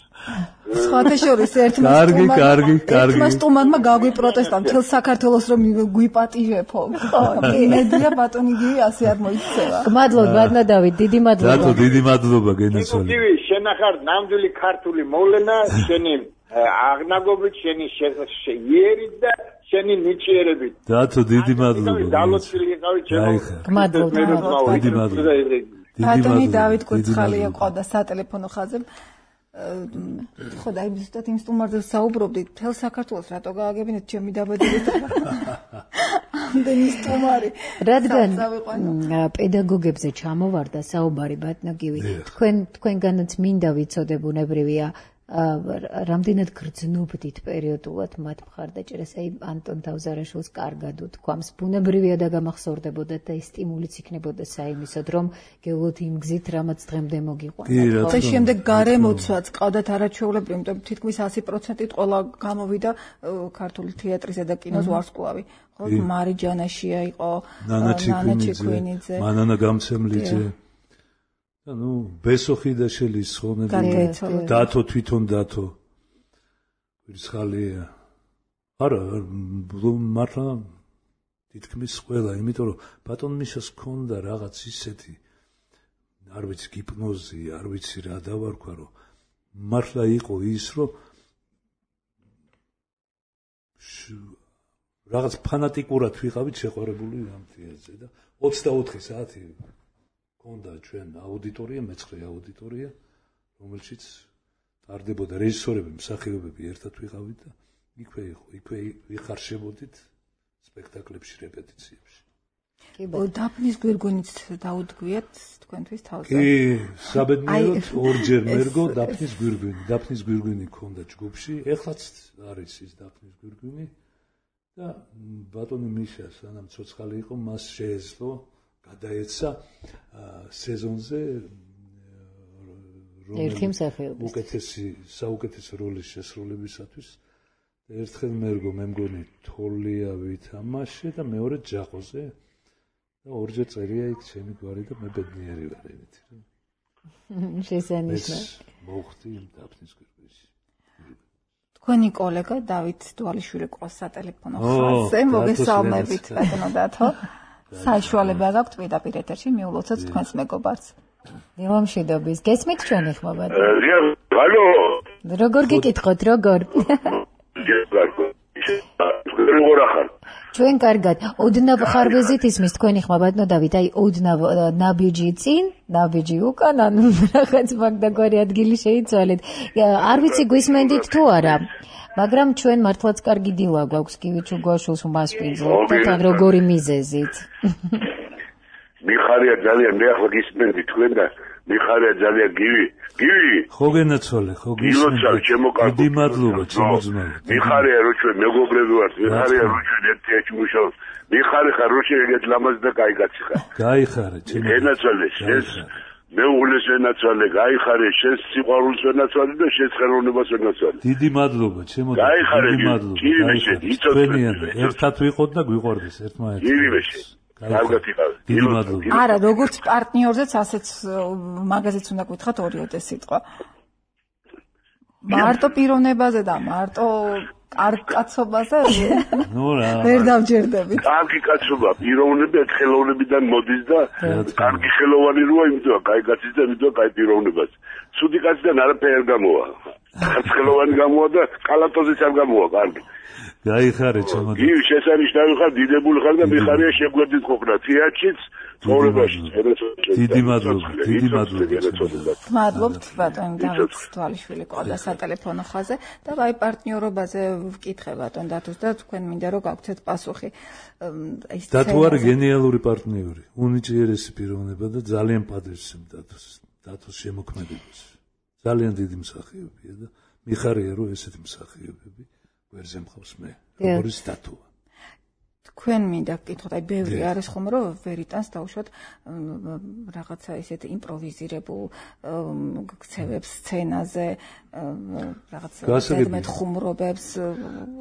სხვათა შორის ერთმა სტუმარმა გაგვიპროტესტა მთელ საქართველოს რომ გვიპატიჟებო ხო იმედია ბატონი გივი ასე არ მოიქცევა მადლობ ბატონო დავით დიდი მადლობა დიდი მადლობა გენაცვალე გივი შენახარ ნამდვილი ქართული მოვლენა შენი აღნაგობით შენი იერით და შენი ნიჭიერებით დათო დიდი მადლობა დალოცილი იყავი ჩემო მადლობა დიდი მადლობა ბატონი დავით კუცხალია ყავდა სატელეფონო ხაზზე. ხო და აი ზუსტად იმ სტუმარზე საუბრობდით, მთელ საქართველოს რატო გააგებინეთ ჩემი დაბადებით? ამდენი სტუმარი. რადგან პედაგოგებზე ჩამოვარდა საუბარი ბატონი, თქვენგანაც მინდა ვიცოდე ბუნებრივია რამდენად გრძნობდით პერიოდულად მათ მხარდაჭერას, აი ანტონ თავზარაშვილს კარგად უთქვამს, ბუნებრივია და გამახსოვრდებოდა და ეს სტიმულიც იქნებოდა საიმისოდ, რომ გეულოთ იმ გზით, რამაც დღემდე მოგიყვანათ. და შემდეგ გარემოცვაც ყავდათ არაჩვეულებრივი, იმიტომ თითქმის 100%-ით ყველა გამოვიდა ქართული თეატრისა და კინოს ვარსკვლავი. ხო, მარიჯანაშია იყო, ნანა ჩიქვინიძე, მანანა გამცემლიძე. ну ბესოხი და შელისხონები დათო თვითონ დათო ვირცხალია არა მართლა თითქმის ყველა იმიტომ რომ ბატონ მიშას ქონდა რაღაც ისეთი არ ვიცი გიპნოზი არ ვიცი რა დავარქვა რომ მართლა იყო ის რომ რაღაც ფანატიკურად ვიყავით შეყვარებული ამ თეატრზე და 24 საათი კონდა ჩვენ აუდიტორია, მეცხრე აუდიტორია, რომელშიც ტარდებოდა რეჟისორები, მსახიობები ერთად ვიყავით და იქვე ვიხარშებოდით სპექტაკლებში, რეპეტიციებში. დაფნის გვირგვინიც დაუდგიათ თქვენთვის თავზე. კი, საბედნიეროდ ორჯერ მერგო დაფნის გვირგვინი. დაფნის გვირგვინი ქონდა ჯგუფში, ეხლაც არის ის დაფნის გვირგვინი და ბატონი მიშა სანამ ცოცხალი იყო, მას შეეძლო გადაეცა სეზონზე ერთი მსახიობის საუკეთესო როლის შესრულებისათვის და ერთხელ მერგო მე მგონი თოლია ვითამაშე და მეორე ჯაყოზე და ორჯერ წერია იქ ჩემი გვარი და მე ბედნიერი ვარ იმით რომ შესანიშნავი მოხდი იმ დაფნის გვირგვინში თქვენი კოლეგა დავით დვალიშვილი ყავს სატელეფონო ხაზზე მოგესალმებით ბატონო დათო საშუალება გაქვთ პირდაპირ ეთერში მიულოცოთ თქვენს მეგობარს. დილამშვიდობის. გესმით ჩვენი ხმობა? ალო. როგორ გიკითხოთ, როგორ? ჩვენ კარგად. ოდნავ ხარვეზით ისმის თქვენი ხმა ბატონო დავით, აი ოდნავ ნაბიჯი წინ, ნაბიჯი უკან, ანუ რაღაც მაგდაგვარი ადგილი შეიცვალეთ. არ ვიცი გვისმენდით თუ არა. მაგრამ ჩვენ მართლაც კარგი დილა გვაქვს კივიჩუ გვაშულს მასპინძო და თან როგორი მიზეზით მიხარია ძალიან მე ახლა გისმენდი თქვენ და მიხარია ძალიან გივი ხო გენაცვალე ხო გისმენდი დიდი მადლობა ჩემო ძმა მიხარია რო ჩვენ მეგობრები ვართ მიხარია რო ჩვენ ერთ-ერთი მუშაობთ მიხარი ხარ რო შენ ეგეთ ლამაზ და კაი კაცი ხარ გაიხარე ჩემო გენაცვალე ეს მეუღლეს ვენაცვალე, გაიხარე, შენ სიყვარულს ვენაცვალე და შენ ხელოვნებას ვენაცვალე. დიდი მადლობა, ჩემო და დიდი მადლობა. თქვენიანზე ერთად ვიყოთ და გვიყვარდეს ერთმანეთს. კარგად იყავით. დიდი მადლობა. არა, როგორც პარტნიორზეც ასეც მაგაზეც უნდა გითხრათ ორიოდე სიტყვა. მარტო პიროვნებაზე და მარტო კარგ კაცობაზე ვერ დავჯერდებით. კარგი კაცობა, პიროვნება ხელოვნებიდან მოდის და კარგი ხელოვანი როა, იმიტომ კაი კაცის და იმიტომ კაი პიროვნებას. ცუდი კაციდან არაფერი არ გამოვა. ხელოვანი გამოვა და კალატოზიც არ გამოვა, კარგი. გაიხარე ჩემო. ი შესანიშნავი ხარ, დიდებული ხარ და მიხარია შეგვერდით ყოფნა თეატრშიც, ცხოვრებაში. დიდი მადლობა, დიდი მადლობა. მადლობთ ბატონ დავით თვალიშვილი ყავდა სატელეფონო ხაზზე და აი პარტნიორობაზე ვკითხე ბატონ დათოს და თქვენ მინდა რომ გაგვცეთ პასუხი. დათო არის გენიალური პარტნიორი, უნიჭიერესი პიროვნება და ძალიან პატივს დათოს შემოქმედებას. ძალიან დიდი მსახიობია და მიხარია რომ ესეთი მსახიობები ვერზე მხავს მე, როგორც დათო. თქვენ მინდა გკითხოთ, აი ბევრი არის ხომ რომ ვერიტანს დაუშვათ რაღაცა ისეთ იმპროვიზირებულ ქცევებს სცენაზე, რაღაცა ზედმეტ ხუმრობებს,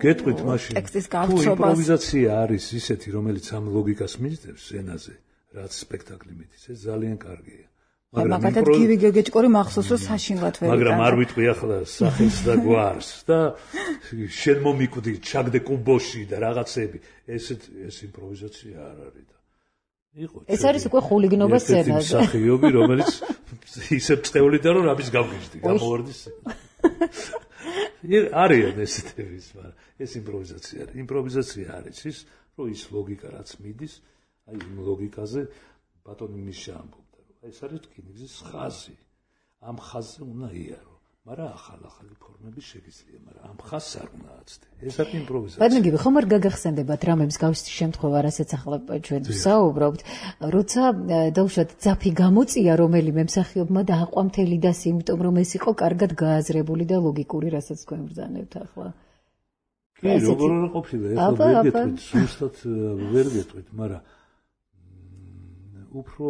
გეტყვით მაშინ. ტექსტის გავრცობას. იმპროვიზაცია არის ისეთი, რომელიც ამ ლოგიკას მიძნებს სცენაზე, რაც სპექტაკლი მიდის, ეს ძალიან კარგია. მაგალითად გივი გეგეჭკორი მახსოვს რომ საშინლად ვერიტანს. მაგრამ არ ვიტყვი ახლა სახეს და გვარს და შენ მომიკვდი ჩაგდე კუბოში და რაღაცები. ეს იმპროვიზაცია არ არის და იყო. ეს არის უკვე ხულიგნობა სცენაზე. სახიობი, რომელიც ისე წევლიდა რომ რამის გავგიჟდი, გამოვარდის. არიან ესეთები, მაგრამ ეს იმპროვიზაცია არის. იმპროვიზაცია არის ის, რომ ის ლოგიკა რაც მიდის, აი იმ ლოგიკაზე ბატონი მიშა ამბობს. ეს არის რკინიგზის ხაზი. ამ ხაზზე უნდა იარო. მაგრამ ახალი ფორმები შეგიძლია, მაგრამ ამ ხაზს არ უნდა აცდე. ეს არის იმპროვიზაცია. ბატონო, ხომ არ გაგახსენდებათ რამებს გავსი შემთხვევა, რასაც ახლა ჩვენ ვსაუბრობთ, როცა დაუშვათ ძაფი გამოწია რომელიმე მსახიობმა და აყვა მთელი დასი, იმიტომ რომ ეს იყო კარგად გააზრებული და ლოგიკური, რასაც თქვენ ბრძანებთ ახლა. კი, როგორ არ ყოფილა, ეხლა ვერ გეტყვით, ზუსტად ვერ გეტყვით, მაგრამ უფრო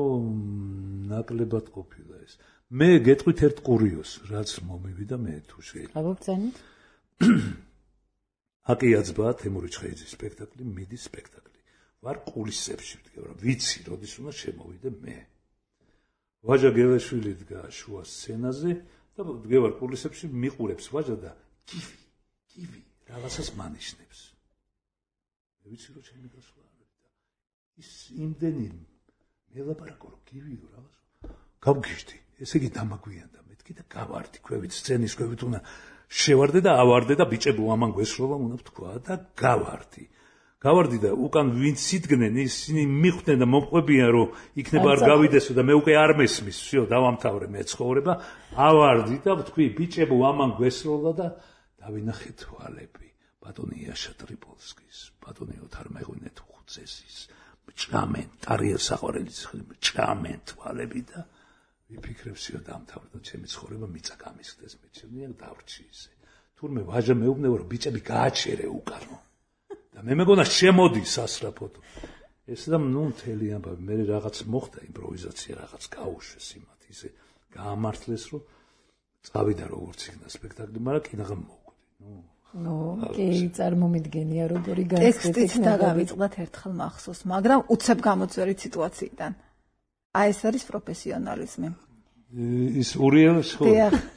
ნაკლებად ყოფილა ეს. მე გეტყვით ერთ კურიოზს, რაც მომივიდა მე თუ შეიძლება. აბობცანით? აკიაცბა თემური ჩხეიძის სპექტაკლი, მიდის სპექტაკლი. ვარ კულისებში ვდგება, ვიცი, როდის უნდა შემოვიდე მე. ვაჟა გელეშვილი დგა შუა სცენაზე და ვდგება კულისებში, მიყურებს ვაჟა და კივი რაღაცას მანიშნებს. მე ვიცი რომ ჩემი გასვლა არ არის და ის იმდენი მელაპარაკო რომ კივიო რაღაც გავგიჟდი. ესე იგი დამაგვიანდა მეთქი და გავარდი ქვევით სცენის ქვევით უნდა შევარდე და ავარდე და ბიჭებო ამან გვესროლა უნდა ვთქვა და გავარდი და უკან ვინც იდგნენ ისინი მიხვდნენ და მომყვებიან რომ იქნება არ გავიდესო და მე უკვე არ მესმის всё დავამთავრე მე ცხოვრება ავარდი და ვთქვი ბიჭებო ამან გვესროლა და დავინახე თვალები ბატონი იაშა ტრიპოლსკის ბატონი ოთარ მეღვინე თუხუცესის ჭამენ ტარიელ საყვარელის ჭამენ თვალები და ვიფიქრებსიო დამთავრდა ჩემი ცხოვრება მიწა გამისხდეს მე ჩემია დავრჩი ისე თურმე ვაჟა მეუბნება რომ ბიჭები გააჩერე უკანო და მე მეგონა შემოდი სასრაფოდ ეს და ნუ მთელი ამბავი მე რაღაც მოხდა იმპროვიზაცია რაღაც გაუშვეს იმათ ისე გაამართლეს რომ წავიდა როგორც იქნა სპექტაკლი მაგრამ კინაღამ მოვკვდი ნუ კი წარმომიდგენია როგორი განსხვავებით ტექსტით დაგავიწყდათ ერთხელ მახსოვს მაგრამ უცებ გამოწვევი სიტუაციიდან აი ეს არის პროფესიონალიზმი. ის ურიელს ხო?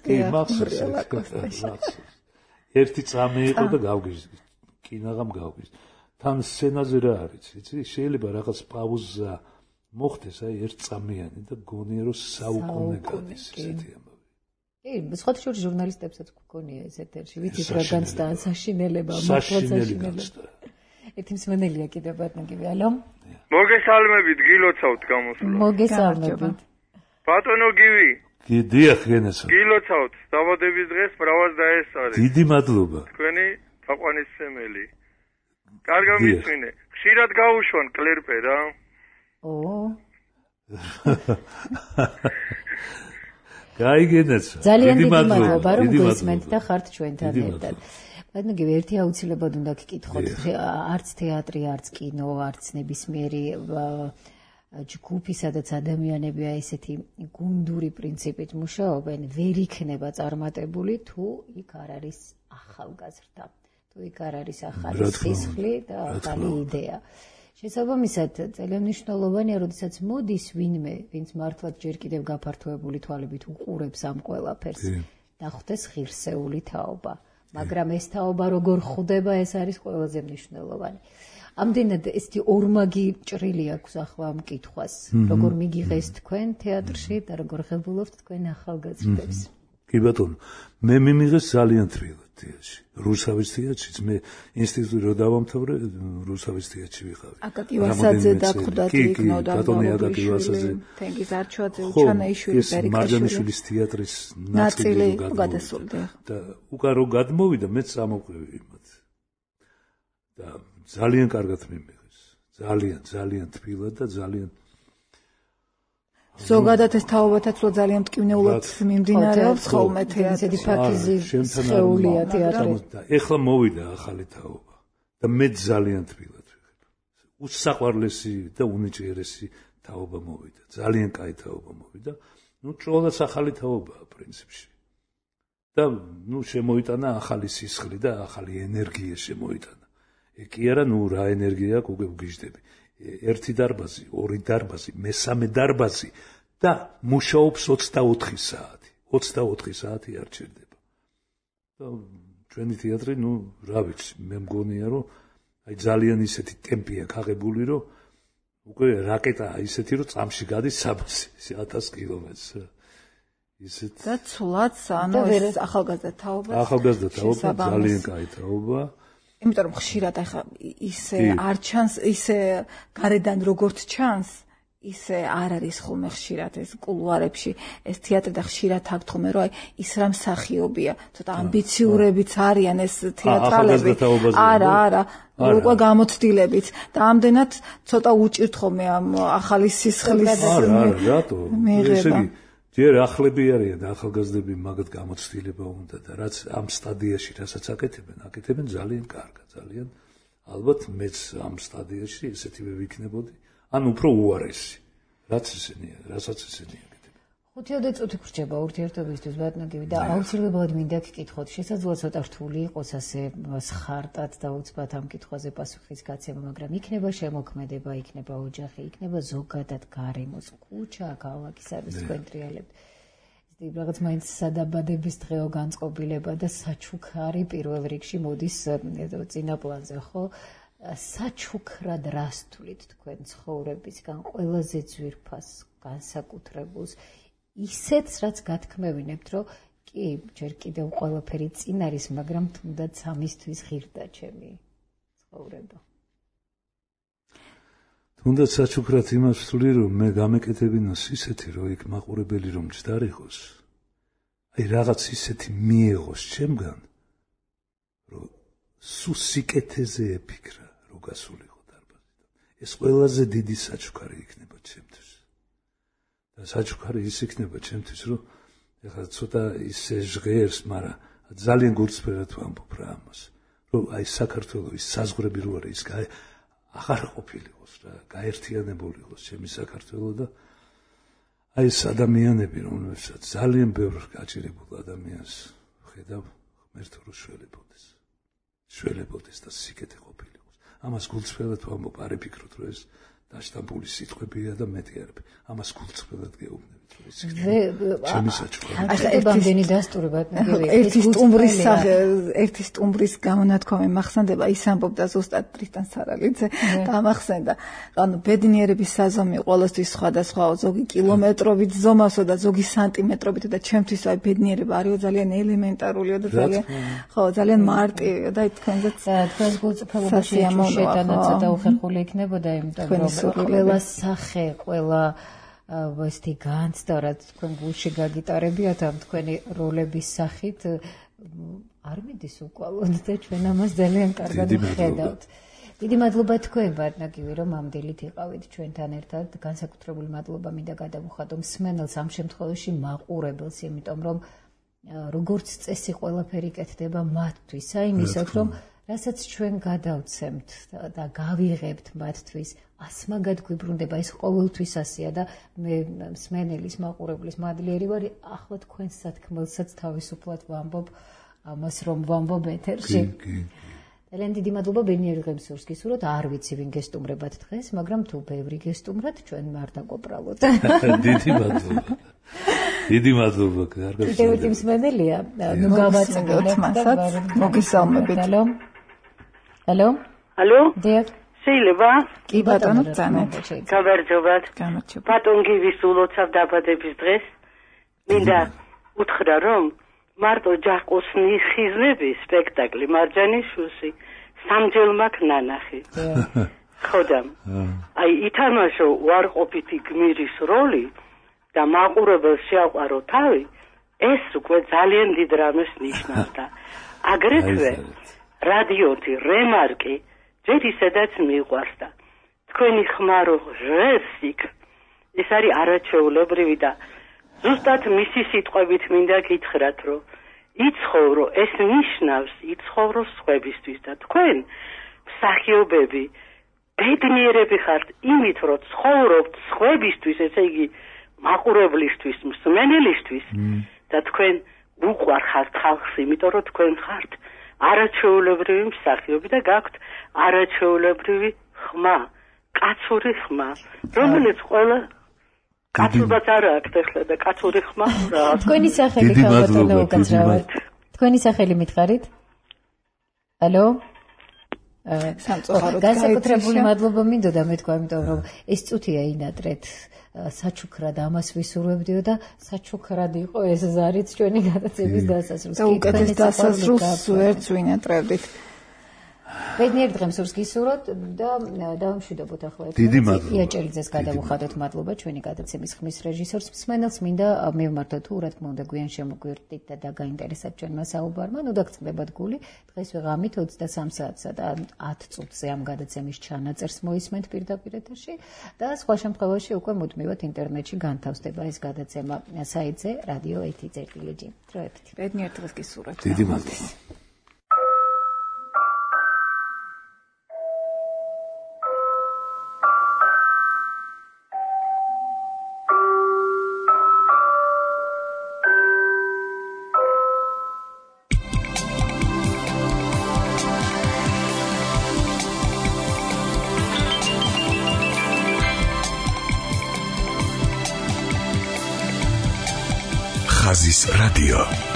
კი, მახსოვს. ერთი წამი იყო და გავგიჟდი. კინაღამ გავგიჟდი. თან სცენაზე რა არის, იცი? შეიძლება რაღაც პაუზა მოხდეს, აი ერთ წამიანი და გონია რომ საუკუნე გადის ესეთი ამბავი. კი, სხვათა შორის ჟურნალისტებსაც გქონია ეს ეთერში, ვიცით რა განცდა საშინელება, მოხდა ერთი მსმენელია კიდევ ბატონი, ალო? მოგესალმებით, გილოცავთ გამოსვლა. მოგესალმებით. ბატონო გივი. დიახ, გენესა. გილოცავთ, დაბადების დღეს ბრავად დაესწარი. დიდი მადლობა. თქვენი თაყვანისმცემელი. კარგა მისვინე. ხშირად გაუშვან კლერპე რა. გაიგენეცა. ძალიან დიდი მადლობა რომ გვესმენთ და ხართ ჩვენთან ერთად. ბატონო, ერთი აუცილებლად უნდა გკითხოთ, არც თეატრი, არც კინო, არც ნებისმიერი ჯგუფი, სადაც ადამიანებია ესეთი გუნდური პრინციპით მუშაობენ, ვერ იქნება წარმატებული, თუ იქ არ არის ახალგაზრდა, თუ იქ არ არის ახალი სისხლი და ახალი იდეა. შესაბამისად, ძალიან მნიშვნელოვანია, როდესაც მოდის ვინმე, ვინც მართლაც ჯერ კიდევ გაფართოებული თვალებით უყურებს ამ ყველაფერს, დახვდეს ღირსეული თაობა. მაგრამ ეს თაობა როგორ ხვდება, ეს არის ყველაზე მნიშვნელოვანი. ამდენად ესეთი ორმაგი ჭრილი აქვს ახლა ამ კითხვას, როგორ მიგიღეს თქვენ თეატრში და როგორ ღებულობთ თქვენ ახალგაზრდებს. კი ბატონო, მე მიმიღეს ძალიან თბილად თეატრში. რუსავის თეატრშიც მე ინსტიტუტი რო დავამთავრე, რუსავის თეატრში ვიყავი. აკაკი ვასაძე დაგხვდათ იქ ბატონი აკაკი ვასაძე, თენგიზ არჩვაძე, უჩანაიშვილი, მარჯანიშვილის თეატრის ნაწილი გადასულდა. და უკან რო გადმოვიდა, მეც წამოვყევი იმათ. და ძალიან კარგად მიმიღეს. ძალიან თბილად და ძალიან ზოგადად ეს თაობათაც რო ძალიან მტკივნეულად მიმდინარეობს ხოლმე თეატრი ფაქიზი შეულია თეატრი. ეხლა მოვიდა ახალი თაობა და მე ძალიან თბილად ვიღებ. უსაყვარლესი და უნიჭიერესი თაობა მოვიდა. ძალიან კაი თაობა მოვიდა. ნუ ჭროლაც ახალი თაობაა პრინციპში. და ნუ შემოიტანა ახალი სისხლი და ახალი ენერგია შემოიტანა. კი არა, ნუ რა ენერგია აქვს, უკვე ვგიჟდები. ერთი დარბაზი, ორი დარბაზი, მესამე დარბაზი და მუშაობს 24 საათი. 24 საათი არ ჩერდება. და ჩვენი თეატრი, ნუ რა ვიცი, მე მგონია, რომ აი ძალიან ისეთი ტემპი აქვს აღებული, რომ უკვე რაკეტაა ისეთი, რომ წამში გადის 1000 კილომეტრს. ისეთ და ცვლად, ანუ ეს ახალგაზრდა თაობა. ახალგაზრდა თაობა ძალიან კაი თაობა. იმიტომ რომ ხშირად ახლა ისე არ ჩანს, ისე გარედან როგორც ჩანს, ისე არ არის ხოლმე ხშირად ეს კულუარებში ეს თეატრი და ხშირად აქვთ ხოლმე რომ ის რა მსახიობია ცოტა ამბიციურებიც არიან ეს თეატრალები არა უკვე გამოცდილებით და ამდენად ცოტა უჭირთ ხოლმე ამ ახალი სისხლის რატო ესე იგი ჯერ ახლები არიან და ახალგაზრდები მაგათ გამოცდილება უნდა და რაც ამ სტადიაში რასაც აკეთებენ ძალიან კარგად ძალიან ალბათ მეც ამ სტადიაში ესეთივე ვიქნებოდი ან უფრო უარესი რასაც ესენია აკეთებენ 5 წუთი გრჩება ურთიერთობისთვის ბატონო და აუცილებლად მინდა გკითხოთ შესაძლოა ცოტა რთული იყოს ასე სხარტად და უცბად ამ კითხვაზე პასუხის გაცემა მაგრამ იქნება შემოქმედება იქნება ოჯახი იქნება ზოგადად გარემოს ქუჩა ქალაქი სადაც თქვენ ტრიალებთ რაღაც მაინც სადაბადების დღეო განწყობილება და საჩუქარი პირველ რიგში მოდის წინა პლანზე ხო საჩუქრად რას თვლით თქვენ ცხოვრებისგან ყველაზე ძვირფას განსაკუთრებულს ისეთს რაც გათქმევინებთ რომ კი ჯერ კიდევ ყველაფერი წინ არის მაგრამ თუნდაც ამისთვის ღირდა ჩემი ცხოვრება თუნდაც საჩუქრად იმას ვთვლი რომ მე გამეკეთებინოს ისეთი რომ იქ მაყურებელი რომ ჯდარიყოს აი რაღაც ისეთი მიეღოს ჩემგან რომ სუსიკეთეზე ეფიქრა რომ გასულიყო დარბაზიდან ეს ყველაზე დიდი საჩუქარი იქნება ჩემთვის და საჩუქარი ის იქნება ჩემთვის რომ ეხლა ცოტა ისე ჟღერს მაგრამ ძალიან გულწრფელად ვამბობ რა ამას რომ აი საქართველოს ის საზღვრები რო არის ის აღარ ყოფილიყოს რა გაერთიანებული იყოს ჩემი საქართველო და აი ეს ადამიანები რომელსაც ძალიან ბევრ გაჭირებულ ადამიანს ხედავ ღმერთო რო შველებოდეს და სიკეთე ყოფილიყოს ამას გულწრფელად ვამბობ არ იფიქროთ რომ ეს დაშტამპული სიტყვებია და მეტი არის ამას გულწრფელად გეუბნებით რომ ეს ჩემი საჩუქარი ახლა დასტური ბატონო ერთი სტუმრის გამონათქვამი მახსენდება ის ამბობდა ზუსტად ტრიტან სარალიძე გამახსენდა ანუ ბედნიერების საზომი ყოველთვის სხვადასხვაო ზოგი კილომეტრობით ზომასო და ზოგი სანტიმეტრობით და ჩემთვის აი ბედნიერება არისო ძალიან ელემენტარულია და ძალიან მარტივია და თქვენზეც თქვენს გულწრფელობაში შეტანა ცოტა უხერხული იქნებოდა იმიტომ რომ ყველა სახე ყველა ვესტი განცდა რაც თქვენ გულში გაგიტარებიათ ამ თქვენი როლების სახით არ მიდის უკვალოდ და ჩვენ ამას ძალიან კარგად ვხედავთ. დიდი მადლობა თქვენ ბატონო რომ ამდელით იყავით ჩვენთან ერთად. განსაკუთრებული მადლობა მინდა გადავუხადო მსმენელს ამ შემთხვევაში მაყურებელს, იმიტომ რომ როგორც წესი ყველაფერი კეთდება მათთვის, აი იმისათვის რომ რასაც ჩვენ გადავცემთ და გავიღებთ მათთვის ასმაგად გვიბრუნდება ეს ყოველთვის ასეა და მე მსმენელის მაყურებლის მადლიერი ვარ ახლა თქვენ სათქმელსაც თავისუფლად ვამბობ ამას რომ ვამბობ ეთერში ძალიან დიდი მადლობა ბენიერ ღემსურს გისურვოთ არ ვიცი ვინ გესტუმრებათ დღეს მაგრამ თუ ბევრი გესტუმრათ ჩვენ არ დაკოპრალოთ დიდი მადლობა კარგად დიდი მსმენელია ნუ გავაწევთ მასაც მოგესალმებით ალო დიახ შეიძლება? კი ბატონო, წამეთ. გავარჯობათ. ბატონ გივის ულოცავ დაბადების დღეს. მინდა უთხრა რომ მარტო ჯაყოსნი ხიზნების სპექტაკლი მარჯანიშვილში სამჯერ მაქვს ნანახი. ხოდა აი ითამაშო უარყოფითი გმირის როლი და მაყურებელს შეაყვარო თავი ეს უკვე ძალიან დიდ რამეს ნიშნავდა. აგრეთვე რადიოთი რემარკი ჯერ ისედაც მიყვარს და თქვენი ხმარო ჟესტიკ ეს არის არაჩვეულებრივი და ზუსტად მისი სიტყვებით მინდა გითხრათ რომ იცხოვრო ეს ნიშნავს იცხოვრო სხვებისთვის და თქვენ მსახიობები ბედნიერები ხართ იმით რომ ცხოვრობთ სხვებისთვის ესე იგი მაყურებლისთვის მსმენელისთვის და თქვენ უყვარხართ ხალხს იმიტომ რომ თქვენ ხართ არაჩვეულებრივი მსახიობი და გაქვთ არაჩვეულებრივი ხმა, კაცური ხმა, რომელიც ყველა კაცურბაც არ აქვს ახლა და კაცური ხმა რა. თქვენი სახელი ხალბატონო უკაცრავად. თქვენი სახელი მითხარით? ალო? სამწუხაროდ განსაკუთრებული მადლობა მინდოდა მეთქვა, იმიტომ რომ ეს წუთია ინატრეთ საჩუქრად ამას ვისურვებდიო და საჩუქრად იყო ეს ზარიც ჩვენი გადაცემის დასასრულს. და უკეთეს დასასრულს ვერც ვინატრებდით. ბედნიერ დღეს სურს გისურვოთ და დავამშვიდობოთ ახლა ერთმანეთს. დიდი მადლობა. იაჭერიძეს გადავუხადოთ მადლობა ჩვენი გადაცემის ხმის რეჟისორს მსმენელს მინდა მივმართოთ თუ რა თქმა უნდა გვიან შემოგვირთით და დაგაინტერესებთ ჩვენმა საუბარმა. ნუ დაგწნდებათ გული. დღეს ვიღამით 23 საათსა და 10 წუთზე ამ გადაცემის ჩანაწერს მოისმენთ პირდაპირ ეთერში და სხვა შემთხვევაში უკვე მუდმივად ინტერნეტში განთავსდება ეს გადაცემა საიტზე radio1.lg. დროებით. ბედნიერ დღეს გისურვებთ. დიდი მადლობა. ხაზის რადიო